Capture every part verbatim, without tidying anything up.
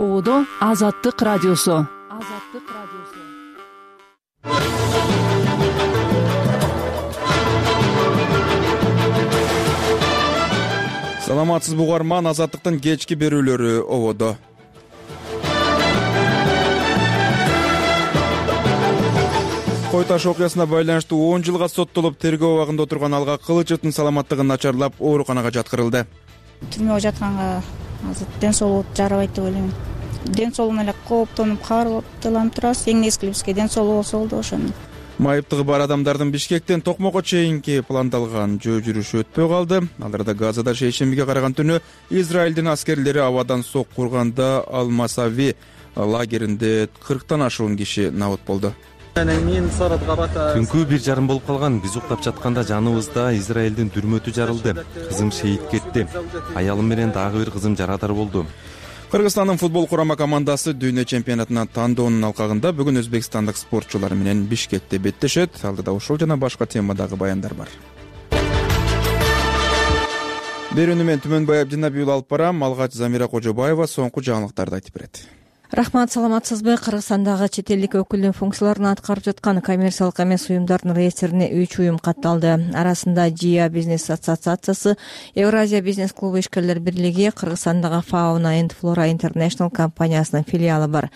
Оодо Азаттык радиосу. Азаттык радиосу. Саламатсызбы угарман, Азаттыктын кечки берүүлөрү ободо. Кой таш окуясына байланыштуу он жылга соттолуп тергөө абагында отурган Алга Кылычевдин саламаттыгы начарлап ооруканага жаткырылды. Түрмөгө жатканга азыр ден соолугу жарабайт деп ойлойм. Ден соолугуна эле кооптонуп, каарылып турабыз. Эң негизги бизге ден соолугу болсо болду ошону. Майыптыгы бар адамдардын Бишкектен Токмокко чейинки пландалган жөө жүрүшү өтпөй калды. Аларда Газада шейшембиге караган түнү Израилдин аскерлери абадан сок курганда Ал-Масави лагеринде кырктан ашуун киши набыт болду. Түнкү бир жарым болуп калган. Биз уктап жатканда жаныбызда Израилдин дүрмөтү жарылды. Кызым шейит кетти. Аялым менен дагы бир кызым жарадар болду. Кыргызстандын футбол курама командасы дүйнө чемпионатына тандоонун алкагында бүгүн өзбекстандык спортчулар менен Бишкекте беттешет. Алдыда ушул жана башка темадагы баяндар бар. Берүүнү мен Түмөнбай Абдинабиул алып барам. Алгач Замира Кожобаева соңку жаңылыктарды айтып берет. Рахмат, саламатсызбы? Кыргызстандагы чет элдик өкүлдүн функцияларын аткарып жаткан коммерциялык эмес уюмдардын реестрине үч уюм катталды. Арасында ЖИА бизнес ассоциациясы, Евразия бизнес клубу ишкерлер бирлиги, Кыргызстандагы Fauna and Flora International компаниясынын филиалы бар.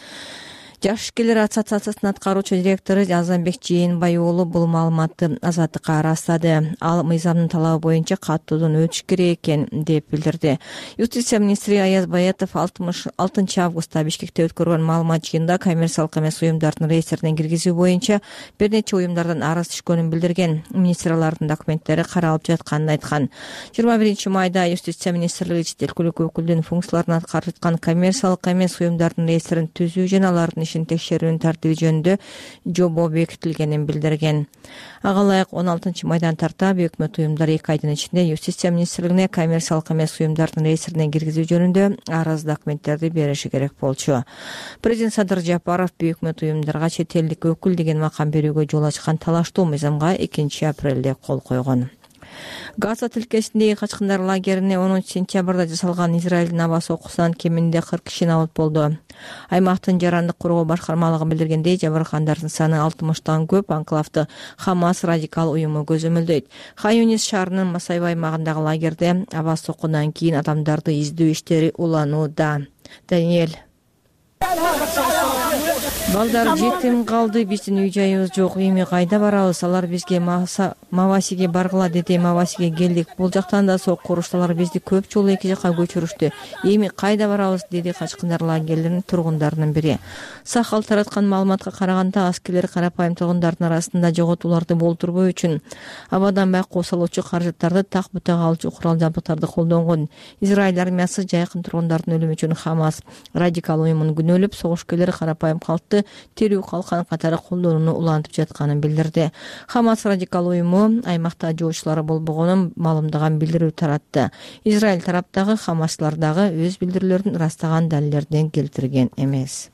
Жаш ишкерлер ассоциациясынын аткаруучу директору Азамбек Жээнбай уулу бул маалыматты Азаттыкка ырастады. Ал мыйзамдын талабы боюнча каттоодон өтүш керек экен деп билдирди. Юстиция министри Аяз Баятов алтынчы августта Бишкекте өткөргөн маалымат жыйынында коммерциялык эмес уюмдардын реестрине киргизүү боюнча бир нече уюмдардан арыз түшкөнүн билдирген. Министр алардын документтери каралып жатканын айткан. жыйырма биринчи майда Юстиция министрлиги чет өлкөлүк өкүлдүн функцияларын аткарып жаткан коммерциялык эмес уюмдардын реестрин түзүү жана алардын текшерүүнүн тартиби жөнүндө жобо бекитилгенин билдирген. Ага ылайык он алтынчы майдан тарта өкмөт уюмдары эки айдын ичинде Юстиция министрлигине коммерциялык эмес уюмдардын реестрине киргизүү жөнүндө арыз документтерди бериши керек болчу. Президент Садыр Жапаров өкмөт уюмдарга чет элдик өкүл деген макам берүүгө жол ачкан талаштуу мыйзамга экинчи апрелде кол койгон. Газа тилкесиндеги качкындар лагерине онунчу сентябрда жасалган Израилдин аба сокусунан кеминде кырк киши набыт болду. Аймактын жарандык коргоо башкармалыгы билдиргендей, жабыркандардын саны алтымыштан көп. Анклавды Хамас радикал уюму көзөмөлдөйт. Хан Юнис шаарынын Масайбай аймагындагы лагерде аба сокунан кийин адамдарды издөө иштери уланууда. Даниэль Балдар жетим калды, биздин үй жайыбыз жок, эми кайда барабыз? Алар бизге Мавасиге баргыла деди, Мавасиге келдик. Бул жактан да сок курушталар бизди көп жолу эки жакка көчүрүштү. Эми кайда барабыз? Деди качкындар лагерлеринин тургундарынын бири. Сахал тараткан маалыматка караганда, аскерлер карапайым тургундардын арасында жоготууларды болтурбоо үчүн абадан байкоо салуучу каражаттарды так бутага алчу курал жабдыктарды колдонгон. Израиль армиясы жайкын тургундардын өлүмү үчүн Хамас радикал уюмун күнөөлөп, согушкерлер карапайым калкты терүү калкан катары колдонууну улантып жатканын билдирди. Хамас радикал уюму аймакта жоочулары болбогонун маалымдаган билдирүү таратты. Израиль тараптагы Хамаслар дагы өз билдирүүлөрүн ырастаган далилдерден келтирген эмес.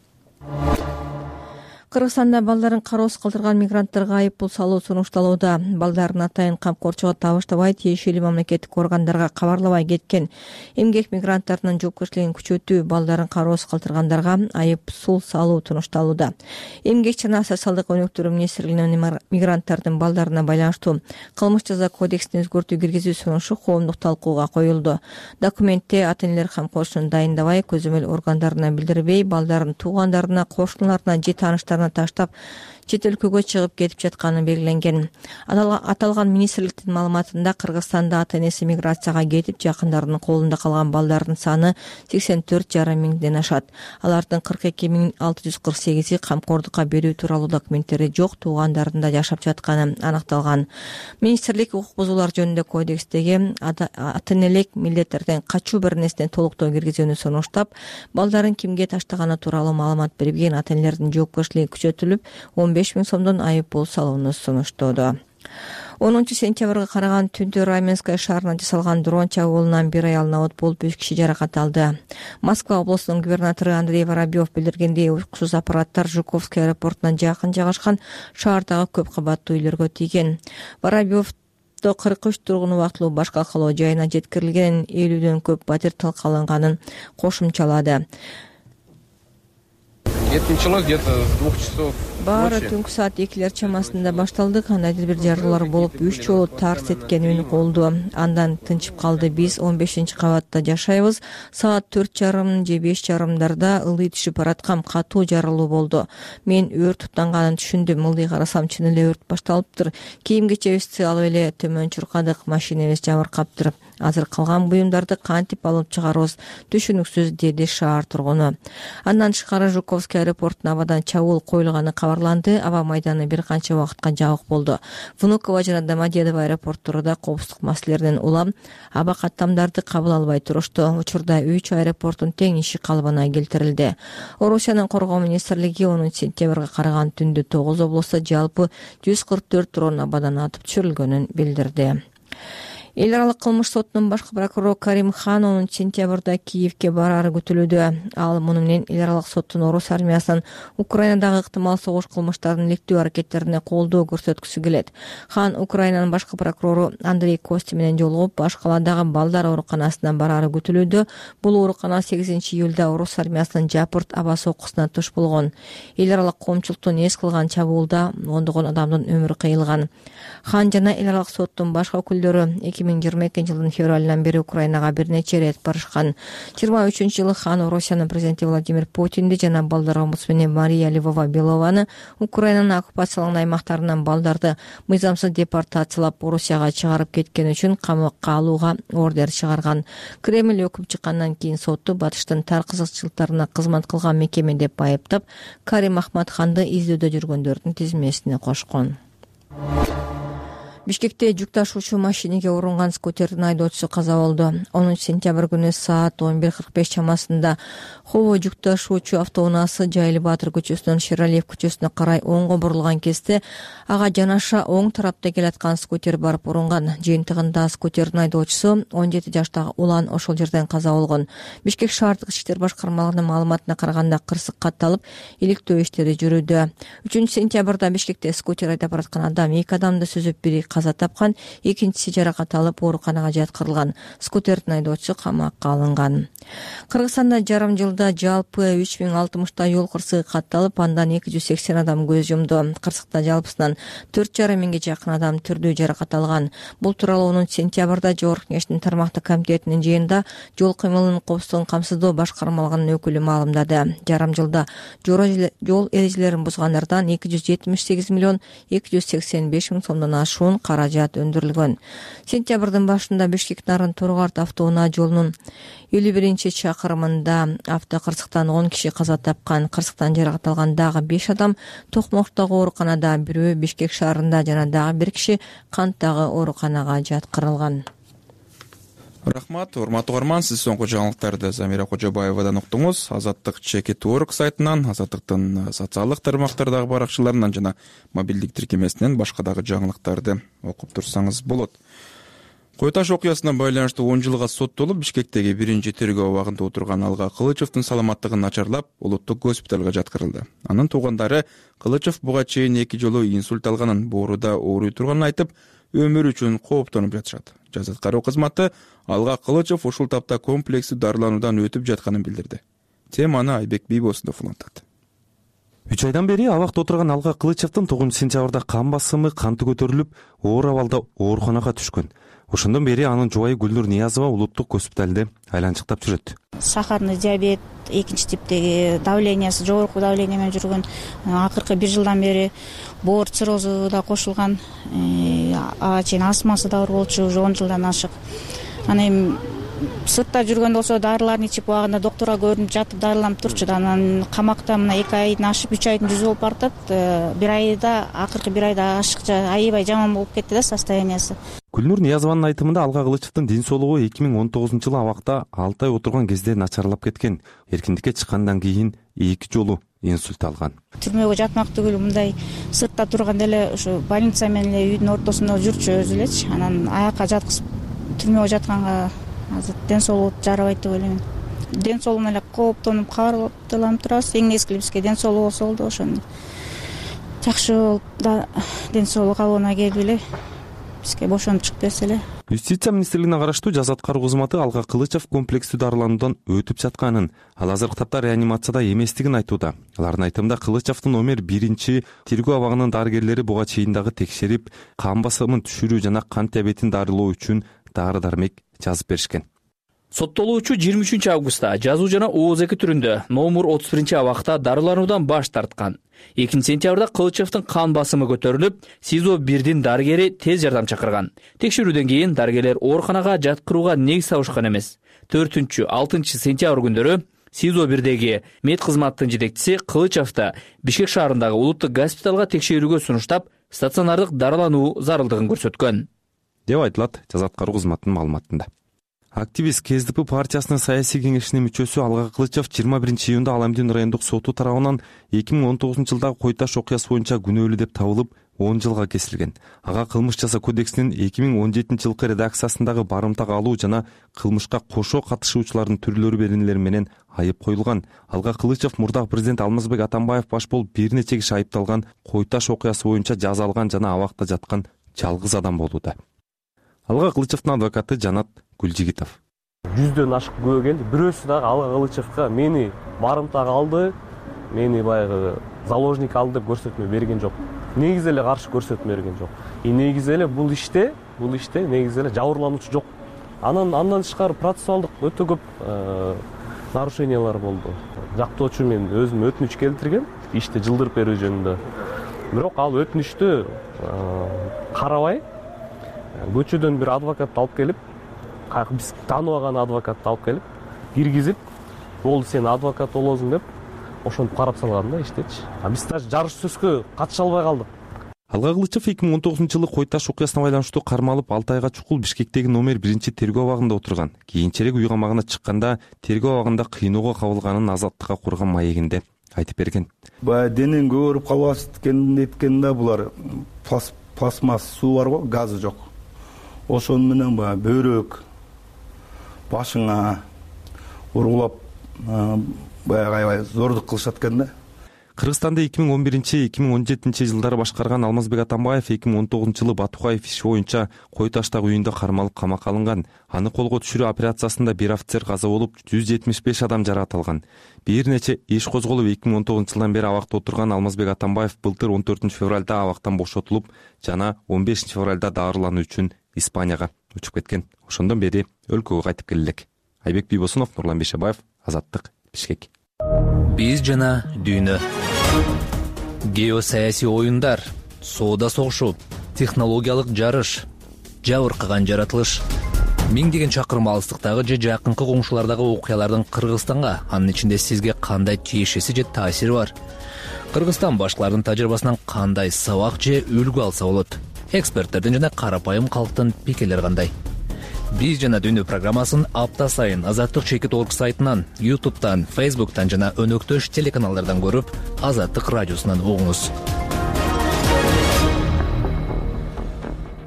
Кыргызстанда балдарын кароосуз калтырган мигранттарга айып пул салуу сунушталууда. Балдарын атайын камкорчуга табыштабай, тиешелүү мамлекеттик органдарга кабарлабай кеткен эмгек мигранттарынын жоопкерчилигин күчөтүү, балдарын кароосуз калтыргандарга айып пул салуу сунушталууда. Эмгек жана социалдык өнүктүрүү министрлигинин мигранттардын балдарына байланыштуу кылмыш жаза кодексине өзгөртүү киргизүү сунушу коомдук талкууга коюлду. Документте ата-энелер камкорчуну дайындабай, көзөмөл органдарына билдирбей, балдарын туугандарына, кошуналарына же тааныштарына таштап чет өлкөгө чыгып кетип жатканы белгиленген. Аталган министрликтин маалыматында Кыргызстанда ата-энеси миграцияга кетип, жакындарынын колунда калган балдардын саны сексен төрт жарым миңден ашат. Алардын кырк эки миң алты жүз кырк сегизи камкордукка берүү тууралуу документтери жок, туугандарында жашап жатканы аныкталган. Министрлик укук бузуулар жөнүндө кодекстеги ата-энелик милдеттерден качуу бир нерсени толуктоо киргизүүнү сунуштап, балдарын кимге таштаганы тууралуу маалымат бербеген ата-энелердин жоопкерчилиги күчөтүлүп, он беш миң сомдон айып пул салууну сунуштоодо. онунчу сентябрга караган түндө Раменское шаарына жасалган дрон чабуулунан бир аял набыт болуп, үч киши жаракат алды. Москва облусунун губернатору Андрей Воробьев билдиргендей, уксуз аппараттар Жуковский аэропортуна жакын жайгашкан шаардагы көп кабаттуу үйлөргө тийген. Воробьев кырк үч тургун убактылуу башка калоо жайына жеткирилген, элүүдөн көп батир талкаланганын кошумчалады. Это началось где-то с двух часов. Баары түнкү саат экилер чамасында башталды. Кандайдыр бир жарылуулар болуп, үч жолу тарс эткен үн колду. Андан тынчып калды. Биз он бешинчи кабатта жашайбыз. Саат төрт жарым же беш жарымдарда ылдый түшүп бараткан катуу жарылуу болду. Мен өрт туттанганын түшүндүм. Ылдый карасам, чын эле өрт башталыптыр. Кийим кечебизди алып эле төмөн чуркадык, машинебиз жабыркаптыр. Азыр калган буюмдарды кантип алып чыгарабыз, түшүнүксүз, деди шаар тургуну. Андан тышкары Жуковский аэропортуна абадан чабуул коюлганы кабарланды. Аба майданы бир канча убакытка жабык болду. Внуково жана Домодедово аэропорттору да коопсуздук маселелеринен улам аба каттамдарды кабыл албай турушту. Учурда үч аэропорттун тең иши калыбына келтирилди. Орусиянын коргоо министрлиги онунчу сентябрга караган түндө тогуз облустта жалпы жүз кырк төрт дрон абадан атып түшүрүлгөнүн билдирди. Эл аралык кылмыш сотунун башкы прокурору Карим Хан онунчу сентябрда Киевке барары күтүлүүдө. Ал муну менен эл аралык соттун орус армиясынын Украинадагы ыктымал согуш кылмыштарын иликтөө аракеттерине колдоо көрсөткүсү келет. Хан Украинанын башкы прокурору Андрей Кости менен жолугуп, баш каладагы балдар ооруканасына барары күтүлүүдө. Бул оорукана сегизинчи июлда орус армиясынын жапырт аба соккусуна туш болгон. Эл аралык коомчулуктун эс кылган чабуулда ондогон адамдын өмүрү кыйылган. Хан жана эл аралык соттун башка өкүлдөрү эки миң жыйырма экинчи жылдын февралынан бери Украинага бир нече ирет барышкан. жыйырма үчүнчү жылы Хан Орусиянын президенти Владимир Путинди жана балдар омбудсмени Мария Львова-Белованы Украинанын оккупацияланган аймактарынан балдарды мыйзамсыз депортациялап Орусияга чыгарып кеткен үчүн камакка алууга ордер чыгарган. Кремль өкүм чыккандан кийин сотту батыштын тар кызыкчылыктарына кызмат кылган мекеме деп айыптап, Карим Ахматханды издөөдө жүргөндөрдүн тизмесине кошкон. Бишкекте жүк ташуучу машинеге урунган скутердин айдоочусу каза болду. онунчу сентябрь күнү саат он бир кырк беш чамасында Хово жүк ташуучу автоунаасы Жайыл Баатыр көчөсүнөн Шералиев көчөсүнө карай оңго бурулган кезде ага жанаша оң тарапта келаткан скутер барып урунган. Жыйынтыгында скутердин айдоочусу он жети жаштагы улан ошол жерден каза болгон. Бишкек шаардык ички иштер башкармалыгынын маалыматына караганда кырсык катталып, иликтөө иштери жүрүүдө. үчүнчү сентябрда Бишкекте скутер айдап бараткан адам эки адамды сүзүп, бири каза тапкан, экинчиси жаракат алып ооруканага жаткырылган. Скутердин айдоочусу камакка алынган. Кыргызстанда жарым жылда жалпы үч миң алтымыштай жол кырсыгы катталып, андан эки жүз сексен адам көз жумду. Кырсыкта жалпысынан төрт жарым миңге жакын адам түрдүү жаракат алган. Бул тууралуу онунчу сентябрда Жогорку Кеңештин тармактык комитетинин жыйынында жол кыймылынын коопсуздугун камсыздоо башкармалыгынын өкүлү маалымдады. Жарым жылда жол эрежелерин бузгандардан эки жүз жетимиш сегиз миллион эки жүз сексен беш миң сомдон ашуун каражат өндүрүлгөн. Сентябрдын башында Бишкек Нарын Торгарт автоунаа жолунун элүү биринчи чакырымында автокырсыктан он киши каза тапкан. Кырсыктан жаракат алган дагы беш адам Токмоктогу ооруканада, бирөө Бишкек шаарында жана дагы бир киши Канттагы ооруканага жаткырылган. Рахмат, урматтуу угарман, сиз соңку жаңылыктарды Замира Кожобаевадан уктуңуз. Азаттык чекит орг сайтынан, Азаттыктын социалдык тармактардагы баракчаларынан жана мобилдик тиркемесинен башка дагы жаңылыктарды окуп турсаңыз болот. Кой Таш окуясына байланыштуу он жылга соттолуп, Бишкектеги биринчи тергөө абагында отурган Алга Кылычевдин саламаттыгын начарлап, улуттук госпиталга жаткырылды. Анын туугандары Кылычев буга чейин эки жолу инсульт алганын, бооруда ооруй турганын айтып, өмүрү үчүн кооптонуп жатышат. Жаза аткаруу кызматы Алга Кылычев ушул тапта комплекстүү дарылануудан өтүп жатканын билдирди. Теманы Айбек Бийбосунов улантат. үч айдан бери абакта отурган Алга Кылычевдин тогузунчу сентябрда кан басымы канты көтөрүлүп, оор абалда ооруканага түшкөн. Ошондон бери анын жубайы Гүлнур Ниязова улуттук госпиталде айланчыктап жүрөт. Сахарный диабет, экинчи типтеги давлениясы жогорку давление менен жүргөн. Акыркы бир жылдан бери боор циррозу да кошулган. Ага чейин астмасы да бар болчу, уже он жылдан ашык. Ана эми сыртта жүргөндө болсо дарыларын ичип, убагында доктурга көрүнүп жатып дарыланып турчу. Анан камакта мына эки айдын ашып, үч айдын жүзү болуп баратат. Бир айда, акыркы бир айда ашыкча аябай жаман болуп кетти да состояниясы. Гүлнур Ниязованын айтымында Алга Кылычевдин ден соолугу эки миң он тогузунчу жылы абакта алты ай отурган кезде начарлап кеткен. Эркиндикке чыккандан кийин эки жолу инсульт алган. Түрмөгө жатмак түгүл, мындай сыртта турганда эле ушу больница менен эле үйдүн ортосунда жүрчү өзү элечи. Анан аякка жаткызып түрмөгө жатканга азыр ден соолугу жарабайт деп ойлойм. Ден соолугуна эле кооптонуп, кабарлап турабыз. Эң нечкели бизге ден соолугу болсо болду, ошондо жакшы болуп да ден соолук алууна келип эле бизге бошонуп чыгып берсе эле. Юстиция министрлигине караштуу жаза аткаруу кызматы Алга Кылычев комплекстүү дарылануудан өтүп жатканын, ал азыркы тапта реанимацияда эместигин айтууда. Алардын айтымында Кылычевдин номер биринчи тергөө абагынын дарыгерлери буга чейин дагы текшерип, кан басымын түшүрүү жана кант диабетин дарылоо үчүн дары-дармек жазып беришкен. Соттолуучу жыйырма үчүнчү августта жазуу жана ооз эки түрүндө номер отуз биринчи абакта дарылануудан баш тарткан. экинчи сентябрда Кылычевдин кан басымы көтөрүлүп, СИЗО бирдин дарыгери тез жардам чакырган. Текшерүүдөн кийин дарыгерлер ооруканага жаткырууга негиз табышкан эмес. төртүнчү алтынчы сентябрь күндөрү СИЗО бирдеги мед кызматтын жетекчиси Кылычевди Бишкек шаарындагы улуттук госпиталга текшерүүгө сунуштап, стационардык дарылануу зарылдыгын көрсөткөн деп айтылат жаза аткаруу кызматынын маалыматында. Активист КСДП партиясынын саясий кеңешинин мүчөсү Алга Кылычев жыйырма биринчи июнда Аламдин райондук соту тарабынан эки миң он тогузунчу жылдагы Кой Таш окуясы боюнча күнөөлүү деп табылып, он жылга кесилген. Ага кылмыш жаза кодексинин эки миң он жетинчи жылкы редакциясындагы барымтага алуу жана кылмышка кошо катышуучулардын түрлөрү беренелери менен айып коюлган. Алга Кылычев мурдагы президент Алмазбек Атамбаев баш болуп бир нече киши айыпталган Кой Таш окуясы боюнча жаза алган жана абакта жаткан жалгыз адам болууда. Алга Кылычевдин адвокаты Жанат Гүлжигитов. Жүздөн ашык күбө келди. Бирөөсү дагы Алга Кылычевга мени барымтага алды, мени баягы заложник алды деп көрсөтмө берген жок. Негизи эле каршы көрсөтмө берген жок. И негизи эле бул иште, бул иште негизи эле жабырлануучу жок. Анан андан тышкары процессуалдык өтө көп нарушениялар болду. Жактоочу мен өзүм өтүнүч келтиргем ишти жылдырып берүү жөнүндө. Бирок ал өтүнүчтү карабай көчөдөн бир адвокатты алып келип, биз тааныбаган адвокатты алып келип, киргизип, болду сен адвокат болосуң деп, ошентип карап салган да иштечи. А биз даже жарыш сөзгө катыша албай калдык. Алга Кылычев эки миң он тогузунчу жылы Кой Таш окуясына байланыштуу кармалып алты айга чукул Бишкектеги номер биринчи тергөө абагында отурган. Кийинчерээк үй камагына чыкканда тергөө абагында кыйноого кабылганын азаттыкка курган маегинде айтып берген. Баягы денең көөрүп калбасын эткенин да булар пластмасс суу барбы, газы жок. Ошон менен баягы бөйрөк башыңа ургулап баягы аябай зордук кылышат экен да. Кыргызстанды эки миң он биринчи эки миң он жетинчи жылдары башкарган Алмазбек Атамбаев эки миң он тогузунчу жылы Батукаев иши боюнча Кой Таштагы үйүндө кармалып камакка алынган. Аны колго түшүрүү операциясында бир офицер каза болуп, жүз жетимиш беш адам жаракат алган. Бир нече иш козголуп эки миң он тогузунчу жылдан бери абакта отурган Алмазбек Атамбаев былтыр он төртүнчү февралда абактан бошотулуп, жана он бешинчи февралда дарылануу үчүн Испанияга учуп кеткен. Ошондон бери өлкөгө кайтып келе элек. Айбек Бийбосунов, Нурлан Бейшебаев, Азаттык, Бишкек. Биз жана дүйнө. Геосаясий оюндар, соода согушу, технологиялык жарыш, жабыркаган жаратылыш. Миңдеген чакырым алыстыктагы же жакынкы коңшулардагы окуялардын Кыргызстанга, анын ичинде сизге кандай тиешеси же таасири бар? Кыргызстан башкалардын тажрыйбасынан кандай сабак же үлгү алса болот? Эксперттердин жана карапайым калктын пикирлери кандай? Биз жана дүйнө программасын апта сайын Азаттык чекит точка орг сайтынан, ютубтан, фейсбуктан жана өнөктөш телеканалдардан көрүп, Азаттык радиосунан угуңуз.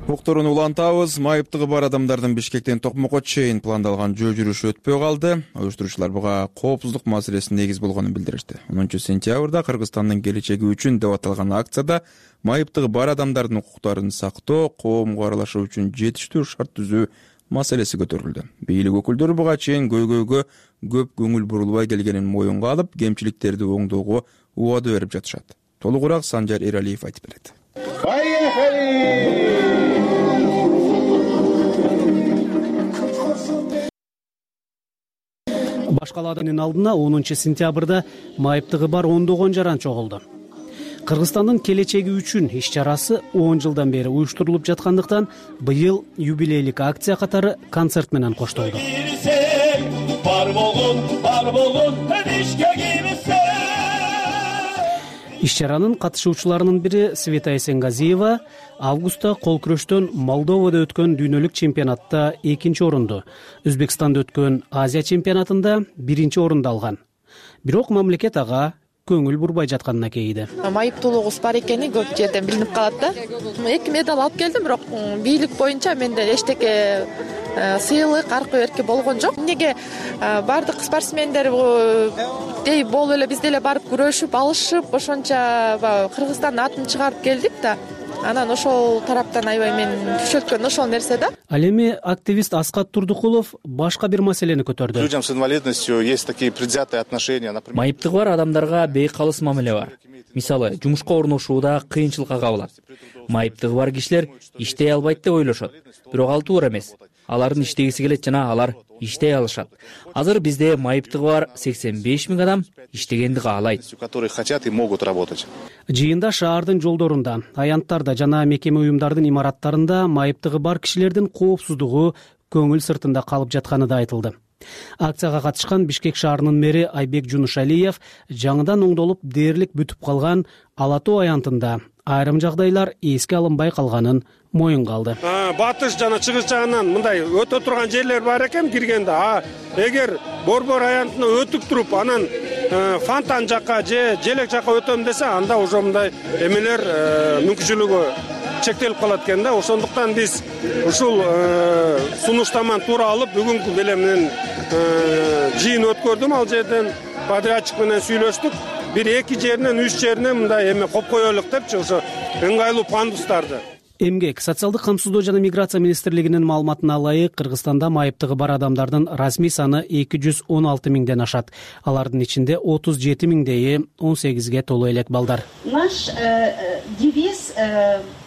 Уктуруну улантабыз. Майыптыгы бар адамдардын Бишкектен Токмокко чейин пландалган жөө жүрүшү өтпөй калды. Уюштуруучулар буга коопсуздук маселеси негиз болгонун билдиришти. онунчу сентябрда Кыргызстандын келечеги үчүн деп аталган акцияда майыптыгы бар адамдардын укуктарын сактоо, коомго аралашуу үчүн жетиштүү шарт түзүү маселеси көтөрүлдү. Бийлик өкүлдөрү буга чейин көйгөйгө көп көңүл бурулбай келгенин моюнга алып, кемчиликтерди оңдоого убада берип жатышат. Толугураак Санжар Эралиев айтып берет. Башкалаанын алдына онунчу сентябрда майыптыгы бар ондогон жаран чогулду. Кыргызстандын келечеги үчүн иш чарасы он жылдан бери уюштурулуп жаткандыктан быйыл юбилейлик акция катары концерт менен коштолду. Иш чаранын катышуучуларынын бири Света Эсенгазиева августта кол күрөштөн Молдовада өткөн дүйнөлүк чемпионатта экинчи орунду, Өзбекстанда өткөн Азия чемпионатында биринчи орунду алган. Бирок мамлекет ага көңүл бурбай жатканына кейиди. Майыптуулугубуз бар экени көп жерден билинип калат да. Эки медаль алып келдим, бирок бийлик боюнча менде эчтеке сыйлык, аркы берки болгон жок. Эмнеге бардык спортсмендер дей болуп эле биз деле барып күрөшүп, алышып, ошончо Кыргызстандын атын чыгарып келдик да. анан ошол тараптан аябай мени күчөткөн ошол нерсе да. Ал эми активист Аскат Турдукулов башка бир маселени көтөрдү. Людям с инвалидностью есть такие предвзятые отношения, например. Майыптыгы бар адамдарга бейкалыс мамиле бар. Мисалы, жумушка орношууда кыйынчылыкка кабылат. Майыптыгы бар кишилер иштей албайт деп ойлошот. Бирок ал туура эмес. Алардын иштегиси келет жана алар иштей алышат. Азыр бизде майыптыгы бар сексен беш миң адам иштегенди каалайт. Которые хотят и могут работать. Жыйында шаардын жолдорунда, аянттарда жана мекеме уюмдардын имараттарында майыптыгы бар кишилердин коопсуздугу көңүл сыртында калып жатканы да айтылды. Акцияга катышкан Бишкек шаарынын мэри Айбек Жунушалиев жаңыдан оңдолуп дээрлик бүтүп калган Ала Тоо аянтында айрым жагдайлар эске алынбай калганын моюнга алды. Батыш жана чыгыш жагынан мындай өтө турган жерлер бар экен киргенде. А эгер Борбор аянтына өтүп туруп, анан Фонтан жакка же Желек жакка өтөм десе, анда уже мындай эмелер мүмкүнчүлүгү чектелип калат экен да. Ошондуктан биз ушул сунуштаманы туура алып, бүгүнкү белем менен жыйын өткөрдүм ал жерден, подрядчик менен сүйлөштүк. Бир эки жеринен, үч жеринен мындай эме коп коелук депчи, ошо ыңгайлуу пандустарды. Эмгек, социалдык камсыздоо жана миграция министрлигинин маалыматына ылайык, Кыргызстанда майыптыгы бар адамдардын расмий саны эки жүз он алты миңден ашат. Алардын ичинде отуз жети миңдейи он сегизге толуу элек балдар. Наш девиз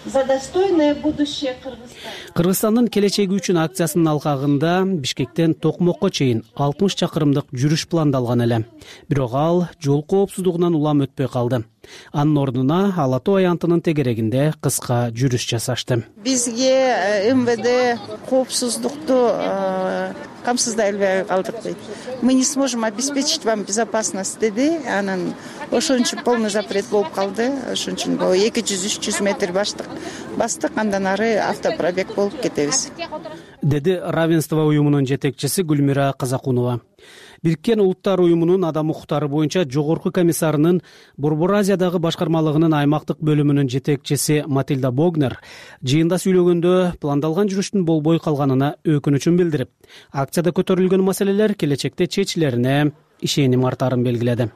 за достойное будущее Кыргызстана. Кыргызстандын келечеги үчүн акциясынын алкагында Бишкектен Токмокко чейин алтымыш чакырымдык жүрүш пландалган эле. Бирок ал жол коопсуздугунан улам өтпөй калды. Анын ордуна Ала Тоо аянтынын тегерегинде кыска жүрүш жасашты. Бизге МВД коопсуздукту камсыздай албай калдык дейт. Мы не сможем обеспечить вам безопасность деди. Анан ошон үчүн полный запрет болуп калды. Ошон үчүн эки жүз үч жүз метр баштык бастык, андан ары автопробег болуп кетебиз, деди Равенство уюмунун жетекчиси Гүлмира Казакунова. Бириккен Улуттар уюмунун адам укуктары боюнча жогорку комиссарынын Борбор Азиядагы башкармалыгынын аймактык бөлүмүнүн жетекчиси Матильда Богнер жыйында сүйлөгөндө пландалган жүрүштүн болбой калганына өкүнүчүн билдирип, акцияда көтөрүлгөн маселелер келечекте чечилерине ишеним артарын белгиледи.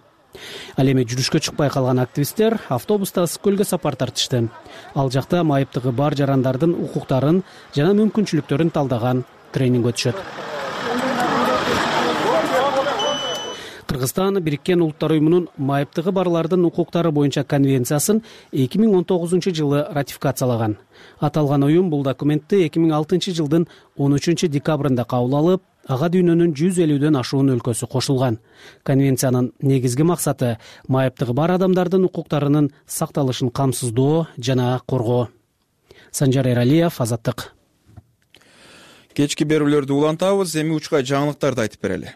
Ал эми жүрүшкө чыкпай калган активисттер автобуста Ысык көлгө сапар тартышты. Ал жакта майыптыгы бар жарандардын укуктарын жана мүмкүнчүлүктөрүн талдаган тренинг өтүшөт. Кыргызстан Бириккен Улуттар уюмунун майыптыгы барлардын укуктары боюнча конвенциясын эки миң он тогузунчу жылы ратификациялаган. Аталган уюм бул документти эки миң алтынчы жылдын он үчүнчү декабрында кабыл алып, ага дүйнөнүн жүз элүүдөн ашуун өлкөсү кошулган. Конвенциянын негизги максаты майыптыгы бар адамдардын укуктарынын сакталышын камсыздоо жана коргоо. Санжар Эралиев, Азаттык. Кечки берүүлөрдү улантабыз, эми учкай жаңылыктарды айтып берели.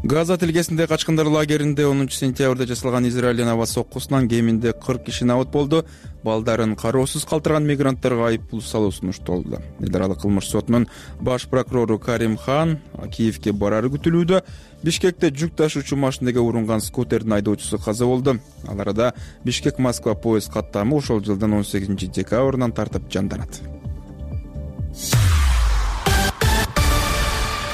Газа тилкесинде качкындар лагеринде онунчу сентябрда жасалган Израилдин аба соккусунан кеминде кырк киши набыт болду. Балдарын кароосуз калтырган мигранттарга айыппул салуу сунушталды. Эл аралык кылмыш сотунун баш прокурору Карим Хан Киевге барары күтүлүүдө. Бишкекте жүк ташуучу машинеге урунган скутердин айдоочусу каза болду. Ал арада Бишкек-Москва поезд каттамы ошол жылдын он сегизинчи декабрынан тартып жанданат.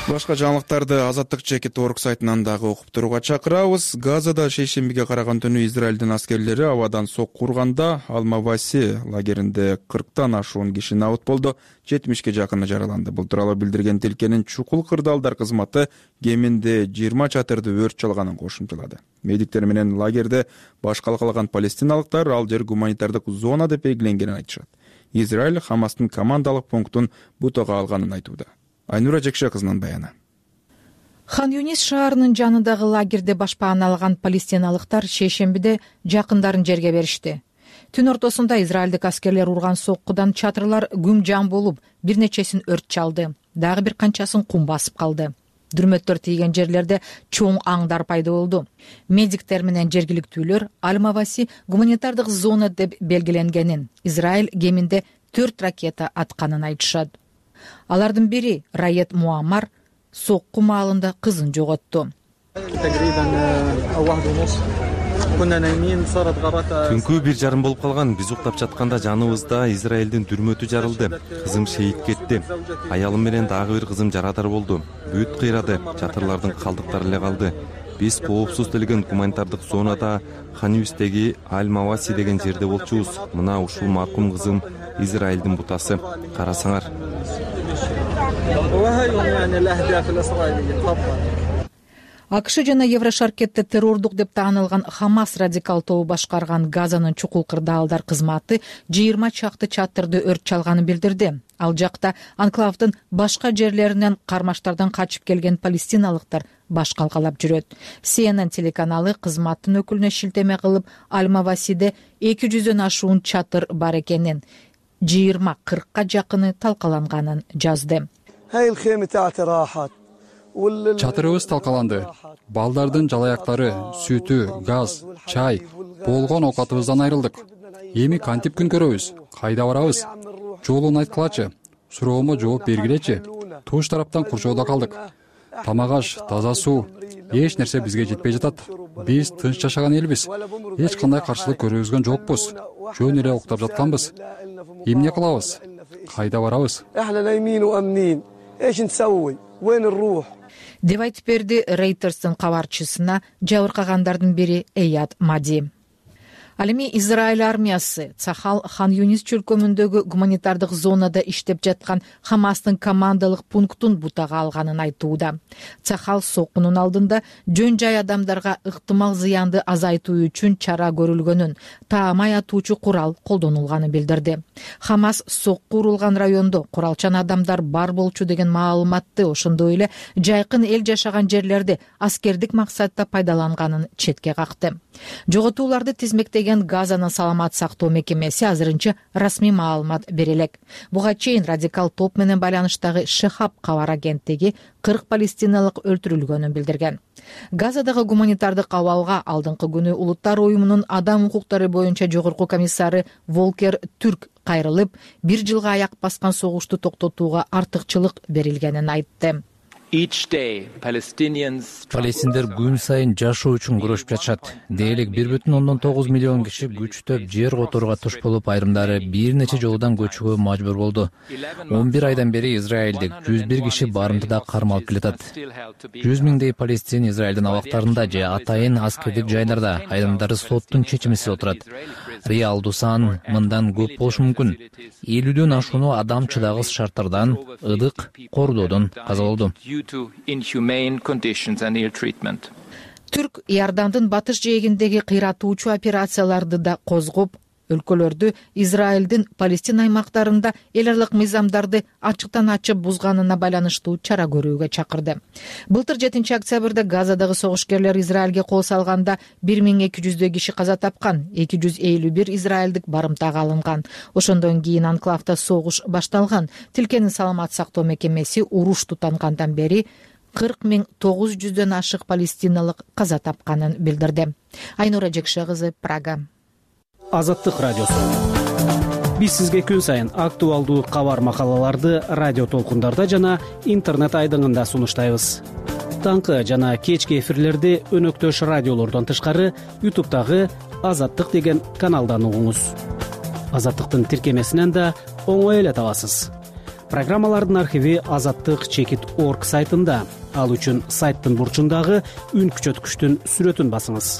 Башка жаңылыктарды Азаттык чекит орг сайтынан дагы окуп турууга чакырабыз. Газада шейшембиге караган түнү Израилдин аскерлери абадан сокку урганда Алмаваси лагеринде кырктан ашуун киши набыт болду, жетимишке жакыны жараланды. Бул тууралуу билдирген тилкенин чукул кырдаалдар кызматы кеминде жыйырма чатырды өрт чалганын кошумчалады. Медиктер менен лагерде баш калкалаган палестиналыктар ал жер гуманитардык зона деп белгиленгенин айтышат. Израиль Хамастын командалык пунктун бутага алганын айтууда. Айнура Жекше кызынын баяны. Хан Юнис шаарынын жанындагы лагерде башпаан алган палестиналыктар шейшембиде жакындарын жерге беришти. Түн ортосунда израилдик аскерлер урган соккудан чатырлар күм жан болуп, бир нечесин өрт чалды. Дагы бир канчасын кум басып калды. Дүрмөттөр тийген жерлерде чоң аңдар пайда болду. Медиктер менен жергиликтүүлөр Алмаваси гуманитардык зона деп белгиленгенин, Израиль кеминде төрт ракета атканын айтышат. Алардын бири Раед Муаммар сокку маалында кызын жоготту. Түнкү бир жарым болуп калган. Биз уктап жатканда жаныбызда Израилдин дүрмөтү жарылды. Кызым шейит кетти. Аялым менен дагы бир кызым жарадар болду. Бүт кыйрады. Чатырлардын калдыктары эле калды. Биз коопсуз делген гуманитардык зонада Хан-Юнистеги Аль-Маваси деген жерде болчубуз. Мына ушул маркум кызым Израилдин бутасы. Карасаңар. АКШ жана Еврошаркетте террордук деп таанылган Хамас радикал тобу башкарган Газанын чукул кырдаалдар кызматы жыйырма чакты чатырды өрт чалганын билдирди. Ал жакта анклавдын башка жерлеринен кармаштардан качып келген палестиналыктар баш калкалап жүрөт. Си Эн Эн телеканалы кызматтын өкүлүнө шилтеме кылып, Аль-Мавасиде эки жүздөн ашуун чатыр бар экенин, жыйырма кыркка жакыны талкаланганын жазды. Чатырыбыз талкаланды. Балдардын жалаяктары, сүтү, газ, чай, болгон оокатыбыздан айрылдык. Эми кантип күн көрөбүз? Кайда барабыз? Жолун айткылачы. Суроомо жооп бергилечи. Туш тараптан курчоодо калдык. Тамак аш, таза суу, эч нерсе бизге жетпей жатат. Биз тынч жашаган элбиз. Эч кандай каршылык көргөзгөн жокпуз. Жөн эле уктап жатканбыз. Эмне кылабыз? Кайда барабыз? деп айтып берди Рейтерстин кабарчысына жабыркагандардын бири Эйяд Мади. Ал эми Израиль армиясы Цахал Хан-Юнис чөлкөмүндөгү гуманитардык зонада иштеп жаткан Хамастын командалык пунктун бутага алганын айтууда. Цахал соккунун алдында жөн жай адамдарга ыктымал зыянды азайтуу үчүн чара көрүлгөнүн, таамай атуучу курал колдонулганын билдирди. Хамас сокку урулган райондо куралчан адамдар бар болчу деген маалыматты, ошондой эле жайкын эл жашаган жерлерди аскердик максатта пайдаланганын четке какты. Жоготууларды тизмектеген Газанын саламат сактоо мекемеси азырынча расмий маалымат бере элек. Буга чейин радикал топ менен байланыштагы Шехаб кабар агенттиги кырк палестиналык өлтүрүлгөнүн билдирген. Газадагы гуманитардык абалга алдыңкы күнү Улуттар уюмунун адам укуктары боюнча жогорку комиссары Волкер Түрк кайрылып, бир жылга аяк баскан согушту токтотууга артыкчылык берилгенин айтты. Палестиндер күн сайын жашоо үчүн күрөшүп жатышат. Дейлик бир бүтүн ондон тогуз миллион киши күчтөп жер которууга туш болуп, айрымдары бир нече жолудан көчүүгө мажбур болду. он бир айдан бери Израилдик жүз бир киши барымтыда кармалып келатат. жүз миңдей палестин Израилдин абактарында же атайын аскердик жайларда, айрымдары соттун чечимисиз отурат. Реалдуу сан мындан көп болушу мүмкүн. элүүдөн ашууну адам чыдагыс шарттардан, ыдык кордоодон каза болду. Түрк Иордандын батыш жээгиндеги кыйратуучу операцияларды да козгоп, өлкөлөрдү Израилдин Палестина аймактарында эл аралык мыйзамдарды ачыктан ачып бузганына байланыштуу чара көрүүгө чакырды. Былтыр жетинчи октябрда Газадагы согушкерлер Израилге кол салганда бир миң эки жүздөй киши каза тапкан, эки жүз элүү бир израилдик барымтага алынган. Ошондон кийин анклавда согуш башталган. Тилкенин саламат сактоо мекемеси уруш тутангандан бери кырк миң тогуз жүздөн ашык палестиналык каза тапканын билдирди. Айнура Жекше кызы, Прага. Азаттык радиосу. Биз сизге күн сайын актуалдуу кабар макалаларды радио толкундарда жана интернет айдыңында сунуштайбыз. Таңкы жана кечки эфирлерди өнөктөш радиолордон тышкары ютубтагы Азаттык деген каналдан угуңуз. Азаттыктын тиркемесинен да оңой эле табасыз. Программалардын архиви азаттык чекит точка орг сайтында. Ал үчүн сайттын бурчундагы үн күчөткүчтүн сүрөтүн басыңыз.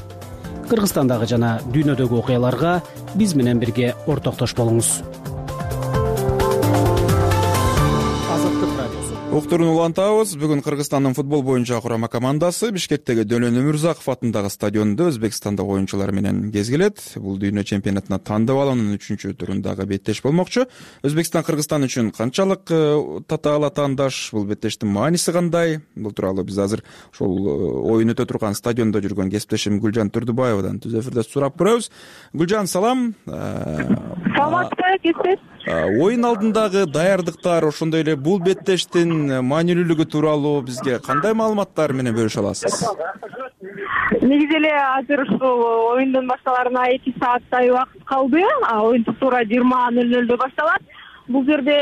Кыргызстандагы жана дүйнөдөгү окуяларга биз менен бирге ортоктош болуңуз. Уктурун улантабыз. Бүгүн Кыргызстандын футбол боюнча курама командасы Бишкектеги Дөлөн Өмүрзаков атындагы стадиондо Өзбекстандык оюнчулар менен кезгилет. Бул дүйнө чемпионатына тандап алуунун үчүнчү турундагы беттеш болмокчу. Өзбекстан Кыргызстан үчүн канчалык татаал атаандаш, бул беттештин мааниси кандай? Бул тууралуу биз азыр ошол оюн өтө турган стадиондо жүргөн кесиптешим Гүлжан Турдубаевадан түз эфирде сурап көрөбүз. Гүлжан, салам. Саламатсызбы, кесиптеш? Оюн алдындагы даярдыктар, ошондой эле бул беттештин маанилүүлүгү тууралуу бизге кандай маалыматтар менен бөлүшө аласыз? Негизи эле азыр ушул оюндун башталарына эки сааттай убакыт калды. Оюн туура жыйырма нөл нөлдө башталат. Бул жерде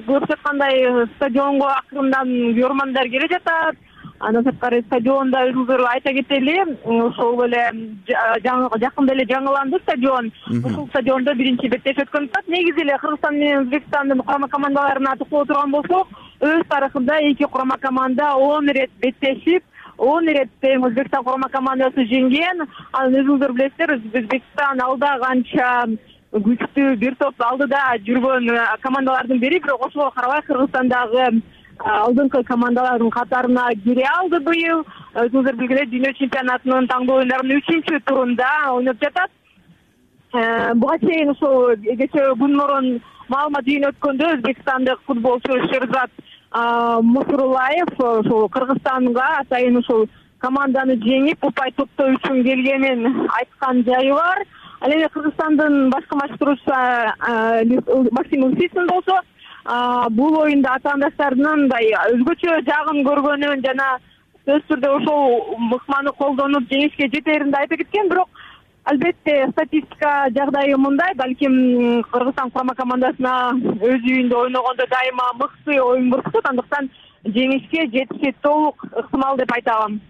көрүп жаткандай стадионго акырындан көрөрмандар келе жатат. Андан сырткары стадионда өзүңүздөр айта кетели, ошол эле жакында эле жаңыланды стадион. Ушул стадиондо биринчи беттеш өткөн атат. Негизи эле Кыргызстан менен Өзбекстандын курама командаларына токтоло турган болсок, өз тарыхында эки курама команда он ирет беттешип, он ирет тең Өзбекстан курама командасы жеңген. Анан өзүңүздөр билесиздер, Өзбекстан алда канча күчтүү бир топ алдыда жүргөн командалардын бири, бирок ошого карабай Кыргызстандагы алдыңкы командалардын катарына кире алды быйыл. Өзүңүздөр билгиле, дүйнө чемпионатынын таңдоо оюндарынын үчүнчү турунда ойноп жатат. Буга чейин ушул кечээ күн мурун маалымат жыйын өткөндө өзбекстандык футболчу Шерзат Мусурулаев ушул Кыргызстанга атайын ушул команданы жеңип упай топтоо үчүн келгенин айткан жайы бар. Ал эми Кыргызстандын башкы машыктыруучусу Максим Усицин болсо бул оюнда атаандаштарынын мындай өзгөчө жагын көргөнүн жана сөзсүз түрдө ошол ыкманы колдонуп жеңишке жетерин да айтып кеткен. Бирок албетте статистика жагдайы мындай, балким Кыргызстан курама командасына өз үйүндө ойногондо дайыма мыкты оюн көрсөтөт, андыктан жеңишке жетиши толук ыктымал деп айта алам.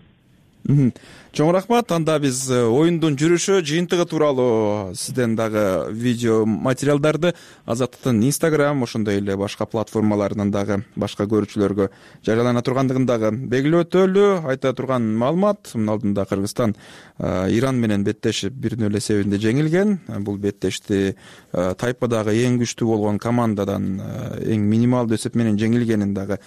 Чоң рахмат. Анда биз оюндун жүрүшү, жыйынтыгы тууралуу сизден дагы видео материалдарды Азаттыктын Instagram, ошондой эле башка платформаларынан дагы башка көрүүчүлөргө жарыялана тургандыгын дагы белгилеп өтөлү. Айта турган маалымат, мына алдында Кыргызстан Иран менен беттешип бир нөл эсебинде жеңилген. Бул беттешти тайпадагы эң күчтүү болгон командадан эң минималдуу эсеп менен жеңилгенин дагы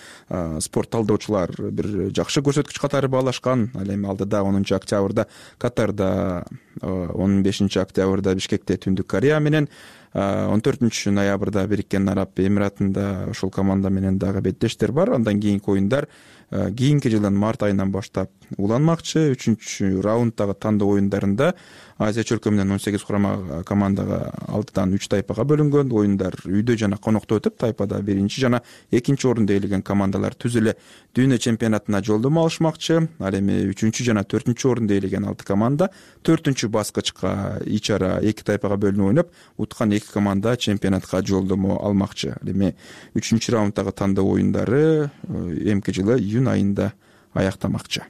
спорт талдоочулар бир жакшы көрсөткүч катары баалашкан. Ал эми алдыда онунчу октябрда Катарда, он бешинчи октябрда Бишкекте Түндүк Корея менен, он төртүнчү ноябрда Бириккен Араб Эмиратында ошол команда менен дагы беттештер бар. Андан кийинки оюндар кийинки жылдын март айынан баштап уланмакчы. Үчүнчү раунддагы тандоо оюндарында Азия чөлкөмүнөн он сегиз курама командага алтыдан үч тайпага бөлүнгөн. Оюндар үйдө жана конокто өтүп, тайпада биринчи жана экинчи орунду ээлеген командалар түз эле дүйнө чемпионатына жолдомо алышмакчы. Ал эми үчүнчү жана төртүнчү орунду ээлеген алты команда төртүнчү баскычка ичара эки тайпага бөлүнүп ойноп, уткан эки команда чемпионатка жолдомо алмакчы. Ал эми үчүнчү раунддагы тандоо оюндары эмки жылы июнь айында аяктамакчы.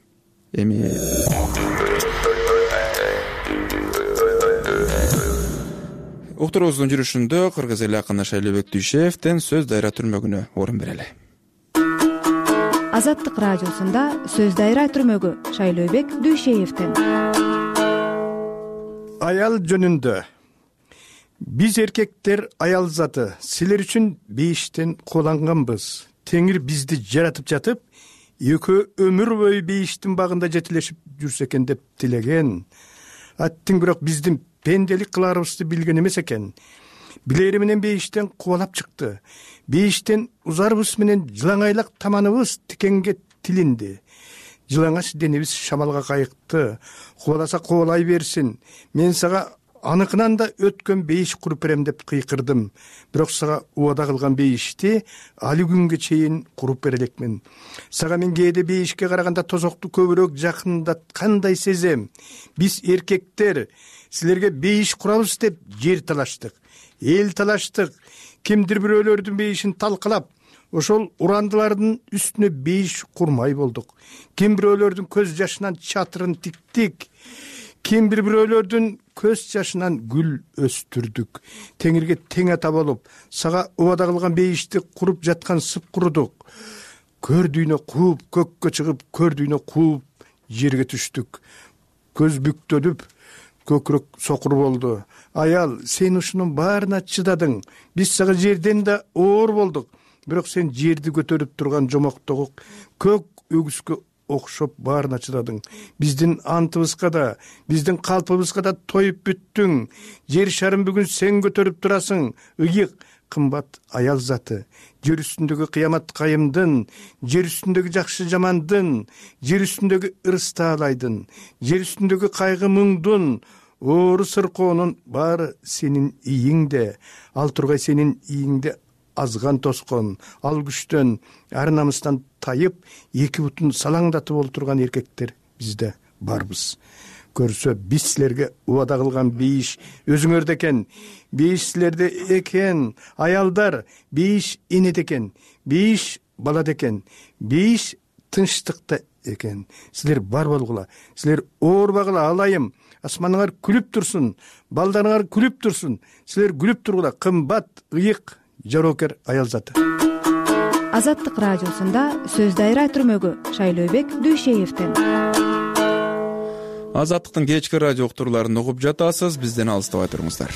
Эми уктуруубуздун жүрүшүндө кыргыз эли акыны Шайлообек Дүйшеевден сөз дайра түрмөгүнө орун берели. Азаттык радиосунда сөз дайра түрмөгү Шайлообек Дүйшеевден. Аял жөнүндө. Биз эркектер аял заты, силер үчүн бейиштен кууланганбыз. Теңир бизди жаратып жатып, экөө өмүр бою бейиштин багында жетилешип жүрсө экен деп тилеген. Аттың бирок биздин пенделик кыларыбызды билген эмес экен. Билери менен бейиштен кубалап чыкты. Бейиштен узарыбыз менен жылаңайлак таманыбыз тикенге тилинди. Жылаңач денебиз шамалга кайыкты. Кубаласа кубалай берсин. Мен сага аныкынан да өткөн бейиш куруп берем деп кыйкырдым. Бирок сага убада кылган бейишти али күнгө чейин куруп бере элекмин. Сага мен кээде бейишке караганда тозокту көбүрөөк жакындаткандай сезем. Биз эркектер силерге бейиш курабыз деп жер талаштык, эл талаштык. Кимдир бирөөлөрдүн бейишин талкалап, ошол урандылардын үстүнө бейиш курмай болдук. Ким бирөөлөрдүн көз жашынан чатырын тиктик. Ким бир бирөөлөрдүн көз жашынан гүл өстүрдүк. Теңирге тең ата болуп, сага убада кылган бейишти куруп жаткан сып курудук. Көр дүйнө кууп, көккө чыгып, көр дүйнө кууп, жерге түштүк. Көз бүктөлүп, көкүрөк сокур болду. Аял, сен ушунун баарына чыдадың. Биз сага жерден да оор болдук. Бирок сен жерди көтөрүп турган жомоктогу көк өгүскө окшоп баарына чыдадың. Биздин антыбызга да, биздин калпыбызга да тоюп бүттүң. Жер шарын бүгүн сен көтөрүп турасың. Ыйык, кымбат аял заты. Жер үстүндөгү кыямат кайымдын, жер үстүндөгү жакшы жамандын, жер үстүндөгү ырыс таалайдын, жер үстүндөгү кайгы муңдун, оору сыркоонун баары сенин ийиңде. Ал тургай сенин ийиңде азган тоскон, ал күчтөн, ар намыстан тайып, эки бутун салаңдатып олтурган эркектер бизде барбыз. Көрсө биз силерге убада кылган бейиш өзүңөрдө экен. Бейиш силерде экен. Аялдар, бейиш энеде экен. Бейиш балада экен. Бейиш тынчтыкта экен. Силер бар болгула. Силер оорбагыла, алайым. Асманыңар күлүп турсун. Балдарыңар күлүп турсун. Силер күлүп тургула. Кымбат, ыйык, жароокер аял заты. Азаттык радиосунда сөз дайра түрмөгү Шайлообек Дүйшеевден. Азаттыктын кечки радио уктурууларын угуп жатасыз, бизден алыстабай туруңуздар.